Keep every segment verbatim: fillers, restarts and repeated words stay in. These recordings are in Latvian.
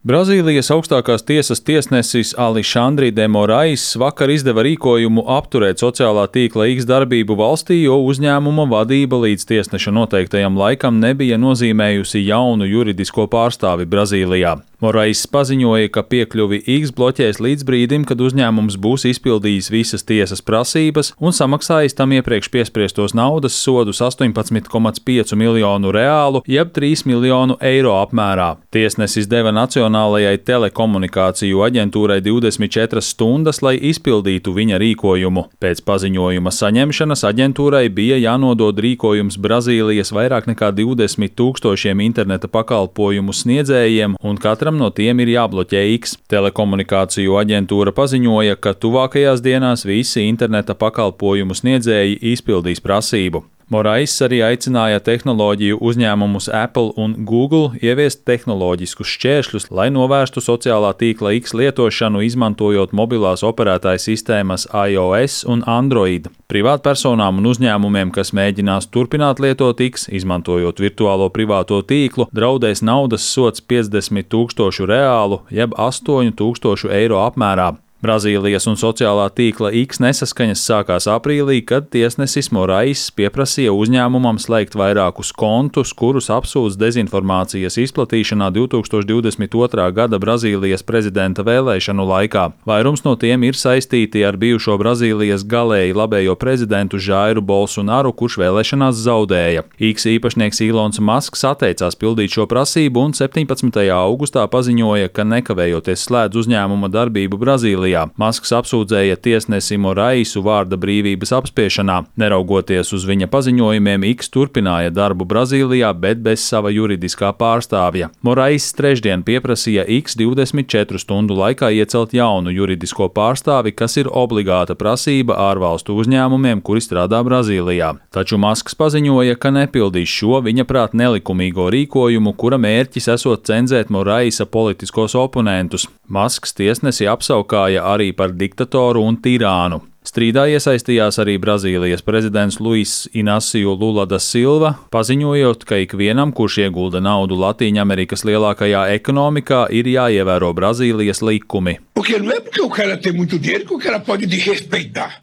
Brazīlijas augstākās tiesas tiesnesis Alexandre de Morais vakar izdeva rīkojumu apturēt sociālā tīkla X darbību valstī, jo uzņēmuma vadība līdz tiesneša noteiktajam laikam nebija nozīmējusi jaunu juridisko pārstāvi Brazīlijā. Morais paziņoja, ka piekļuvi X bloķēs līdz brīdim, kad uzņēmums būs izpildījis visas tiesas prasības un samaksājis tam iepriekš piespriestos naudas sodus astoņpadsmit komats pieci miljonu reālu, jeb trīs miljonu eiro apmērā. Tiesnesis deva Nacionālajai telekomunikāciju aģentūrai divdesmit četras stundas, lai izpildītu viņa rīkojumu. Pēc paziņojuma saņemšanas aģentūrai bija jānodod rīkojums Brazīlijas vairāk nekā divdesmit tūkstošiem interneta pakalpojumu sniedzējiem, un katram no tiem ir jābloķē X. Telekomunikāciju aģentūra paziņoja, ka tuvākajās dienās visi interneta pakalpojumu sniedzēji izpildīs prasību. Morais arī aicināja tehnoloģiju uzņēmumus Apple un Google ieviest tehnoloģiskus šķēršļus, lai novērstu sociālā tīkla X lietošanu, izmantojot mobilās operētāju sistēmas iOS un Android. Privātpersonām un uzņēmumiem, kas mēģinās turpināt lietot X, izmantojot virtuālo privāto tīklu, draudēs naudas sods piecdesmit tūkstošu reālu, jeb astoņu tūkstošu eiro apmērā. Brazīlijas un sociālā tīkla X nesaskaņas sākās aprīlī, kad tiesnesis Morais pieprasīja uzņēmumam slēgt vairākus kontus, kurus apsūdz dezinformācijas izplatīšanā divtūkstoš divdesmit otrā gada Brazīlijas prezidenta vēlēšanu laikā. Vairums no tiem ir saistīti ar bijušo Brazīlijas galēji labējo prezidentu Žairu Bolsonaru, kurš vēlēšanās zaudēja. X īpašnieks Ilons Masks atteicās pildīt šo prasību un septiņpadsmitajā augustā paziņoja, ka nekavējoties slēdz uzņēmuma darbību Brazīlijā. Masks apsūdzēja tiesnesi Moraisu vārda brīvības apspiešanā. Neraugoties uz viņa paziņojumiem, X turpināja darbu Brazīlijā, bet bez sava juridiskā pārstāvja. Morais trešdien pieprasīja X divdesmit četru stundu laikā iecelt jaunu juridisko pārstāvi, kas ir obligāta prasība ārvalstu uzņēmumiem, kuri strādā Brazīlijā. Taču Masks paziņoja, ka nepildīs šo viņa prāt nelikumīgo rīkojumu, kura mērķis esot cenzēt Moraisa politiskos oponentus. Masks tiesnesi apsaukāja arī par diktatoru un tirānu. Strīdā iesaistījās arī Brazīlijas prezidents Luis Inacio Lula da Silva, paziņojot, ka ikvienam, kurš iegulda naudu Latīņamerikas lielākajā ekonomikā, ir jāievēro Brazīlijas likumi.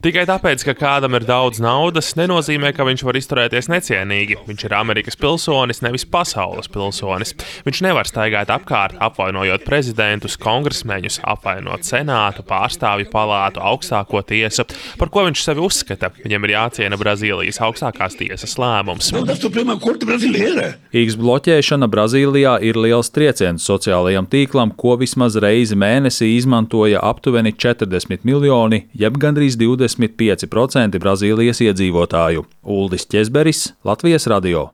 Tikai tāpēc, ka kādam ir daudz naudas, nenozīmē, ka viņš var izturēties necienīgi. Viņš ir Amerikas pilsonis, nevis pasaules pilsonis. Viņš nevar staigāt apkārt, apvainojot prezidentus, kongresmeņus, apvainot senātu, pārstāvju palātu, augstāko tiesu. Par ko viņš sevi uzskata? Viņam ir jāciena Brazīlijas augstākās tiesas lēmums. X bloķēšana Brazīlijā ir liels trieciens sociālajam tīklam, ko vismaz reizi mēnesī izmantoja aptuveni četrdesmit miljoni, jeb gandrīz divdesmit pieci procenti Brazīlijas iedzīvotāju. Uldis Ķezberis, Latvijas radio.